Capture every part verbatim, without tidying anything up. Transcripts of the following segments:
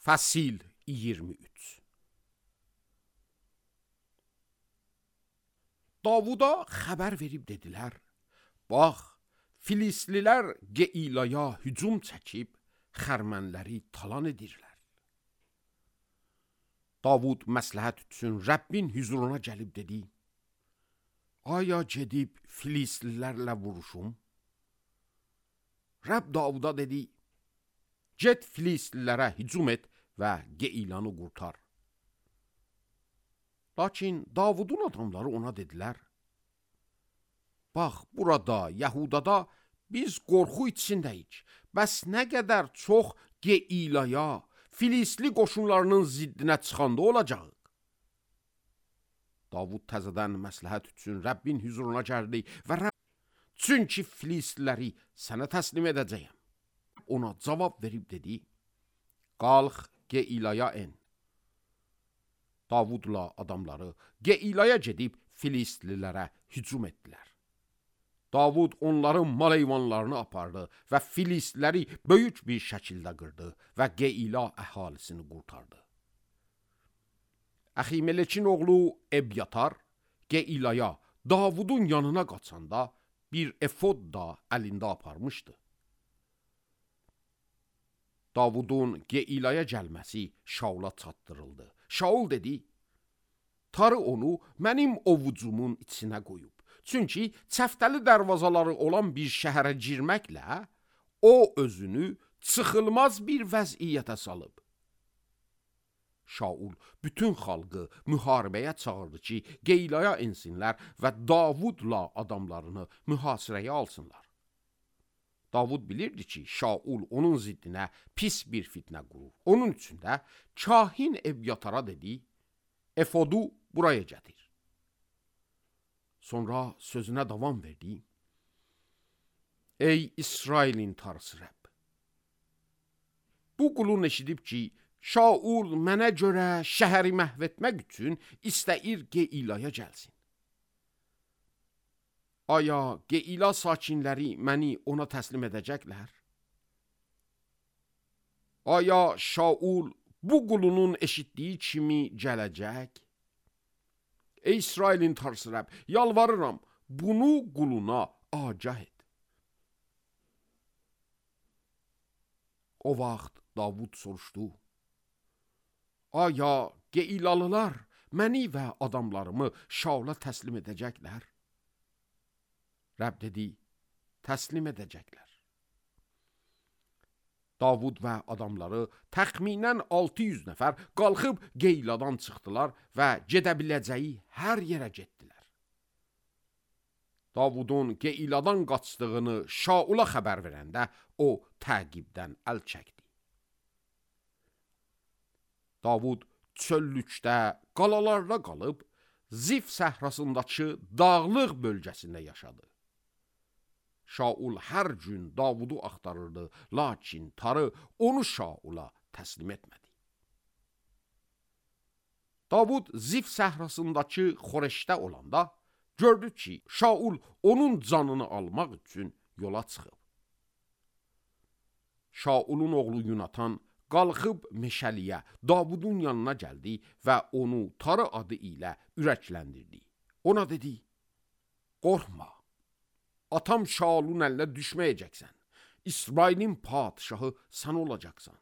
Fəsil iyirmi üç. Davuda xəbər verib dedilər, bax, Filistlilər Geilaya hücum çəkib, xərmənləri talan edirlər. Davud məsləhət üçün Rəbbin hüzuruna gəlib dedi, aya gedib Filistlilərlə vuruşum? Rəbb Davuda dedi, get Filistlilərə hücum et və Geilanı qurtar. Lakin Davudun adamları ona dedilər, bax, burada, Yahudada biz qorxu içindəyik. Bəs nə qədər çox Geilaya, Filistli qoşunlarının ziddinə çıxanda olacaq. Davud təzədən məsləhət üçün Rəbbin hüzuruna gəldi və Rəbb, çünki Filistliləri sənə təslim edəcəyəm. Ona cavab verib dedi, qalx Geilaya en. Davudla adamları Geilaya gedib Filistlilərə hücum etdilər. Davud onların mal heyvanlarını apardı və Filistliləri böyük bir şəkildə qırdı və Geila əhalisini qurtardı. Əximelekin oğlu Ebyatar Geilaya Davudun yanına qaçanda bir efod da əlində aparmışdı. Davudun Geilaya gəlməsi Şaula çatdırıldı. Şaul dedi, tarı onu mənim ovucumun içinə qoyub. Çünki çəftəli dərvazaları olan bir şəhərə girməklə o özünü çıxılmaz bir vəziyyətə salıb. Şaul bütün xalqı müharibəyə çağırdı ki, Geilaya ensinlər və Davudla adamlarını mühasirəyə alsınlar. Davud bilirdi ki, Şaul onun ziddinə pis bir fitnə qurur. Onun üçün də kahin Ebyatara dedi, efodu buraya gətir. Sonra sözünə davam verdi. Ey İsrailin tarısı Rəbb! Bu qulun eşidib ki, Şaul mənə görə şəhəri məhv etmək üçün istəyir Geilaya gəlsin. Aya Geila sakinləri məni ona təslim edəcəklər? Aya Şaul bu qulunun eşitdiyi kimi gələcək? Ey İsrailin tarısı Rəbb, yalvarıram, bunu quluna agah et. O vaxt Davud soruşdu, aya Geilalılar məni və adamlarımı Şaula təslim edəcəklər? Rəbb dedi, təslim edəcəklər. Davud və adamları təxminən altı yüz nəfər qalxıb Geiladan çıxdılar və gedə biləcəyi hər yerə getdilər. Davudun Geiladan qaçdığını Şaula xəbər verəndə o təqibdən əl çəkdi. Davud çöllükdə, qalalarda qalıb Zif səhrasındakı dağlıq bölgəsində yaşadı. Şaul hər gün Davudu axtarırdı, lakin tarı onu Şaula təslim etmədi. Davud Zif səhrasındakı Xoreşdə olanda gördü ki, Şaul onun canını almaq üçün yola çıxıb. Şaulun oğlu Yunatan qalxıb meşəliyə Davudun yanına gəldi və onu tarı adı ilə ürəkləndirdi. Ona dedi, qorxma. Atam Şaulun əlinə düşməyəcəksən. İsrailin padişahı sən olacaqsan.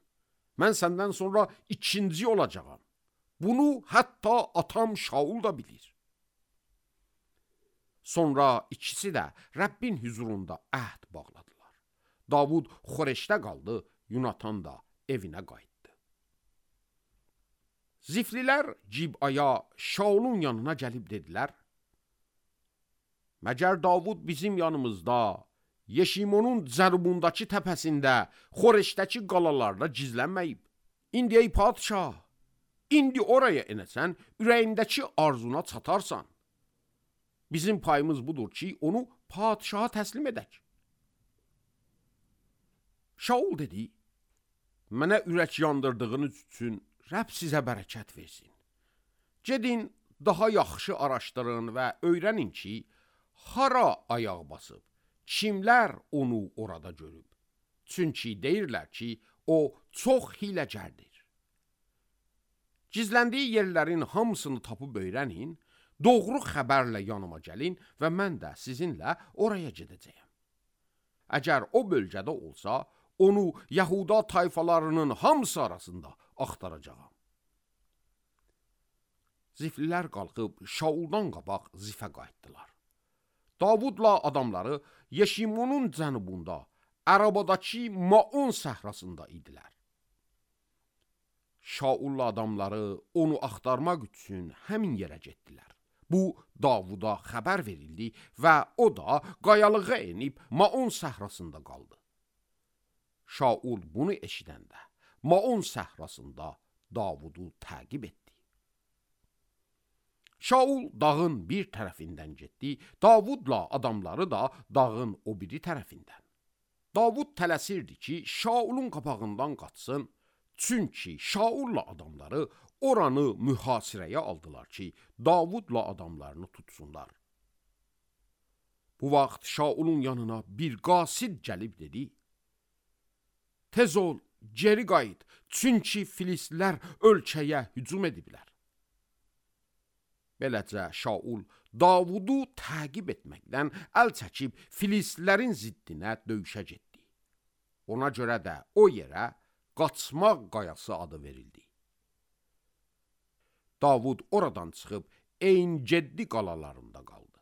Mən səndən sonra ikinci olacağam. Bunu hətta atam Şaul da bilir. Sonra ikisi də Rəbbin hüzurunda əhd bağladılar. Davud Xoreşdə qaldı, Yunatan da evinə qayıtdı. Ziflilər Cibaya Şaulun yanına gəlib dedilər, məgər Davud bizim yanımızda, Yeşimonun cənubundakı təpəsində, Xoreşdəki qalalarda gizlənməyib. İndi ey padişah, indi oraya enəsən, ürəyindəki arzuna çatarsan. Bizim payımız budur ki, onu padişaha təslim edək. Şaul dedi, mənə ürək yandırdığınız üçün Rəbb sizə bərəkət versin. Gedin, daha yaxşı araşdırın və öyrənin ki, hara ayaq basıb, kimlər onu orada görüb. Çünki deyirlər ki, o çox hiləcərdir. Gizləndiyi yerlərin hamısını tapıb öyrənin, doğru xəbərlə yanıma gəlin və mən də sizinlə oraya gedəcəyəm. Əgər o bölgədə olsa, onu Yahuda tayfalarının hamısı arasında axtaracağam. Ziflilər qalxıb Şauldan qabaq Zifə qayıtdılar. Davudla adamları Yeşimonun cənubunda, Ərabadakı Maon səhrasında idilər. Şaulla adamları onu axtarmaq üçün həmin yerə getdilər. Bu, Davuda xəbər verildi və o da qayalığa enib Maon səhrasında qaldı. Şaul bunu eşidəndə Maon səhrasında Davudu təqib etdi. Şaul dağın bir tərəfindən getdi, Davudla adamları da dağın o biri tərəfindən. Davud tələsirdi ki, Şaulun qabağından qaçsın, çünki Şaulla adamları oranı mühasirəyə aldılar ki, Davudla adamlarını tutsunlar. Bu vaxt Şaulun yanına bir qasid gəlib dedi, tez ol, geri qayıt, çünki filistlər ölkəyə hücum ediblər. Beləcə Şaul Davudu təqib etməkdən əl çəkib filistlərin ziddinə döyüşə getdi. Ona görə də o yerə Qaçmaq qayası adı verildi. Davud oradan çıxıb En-Geddi qalalarında qaldı.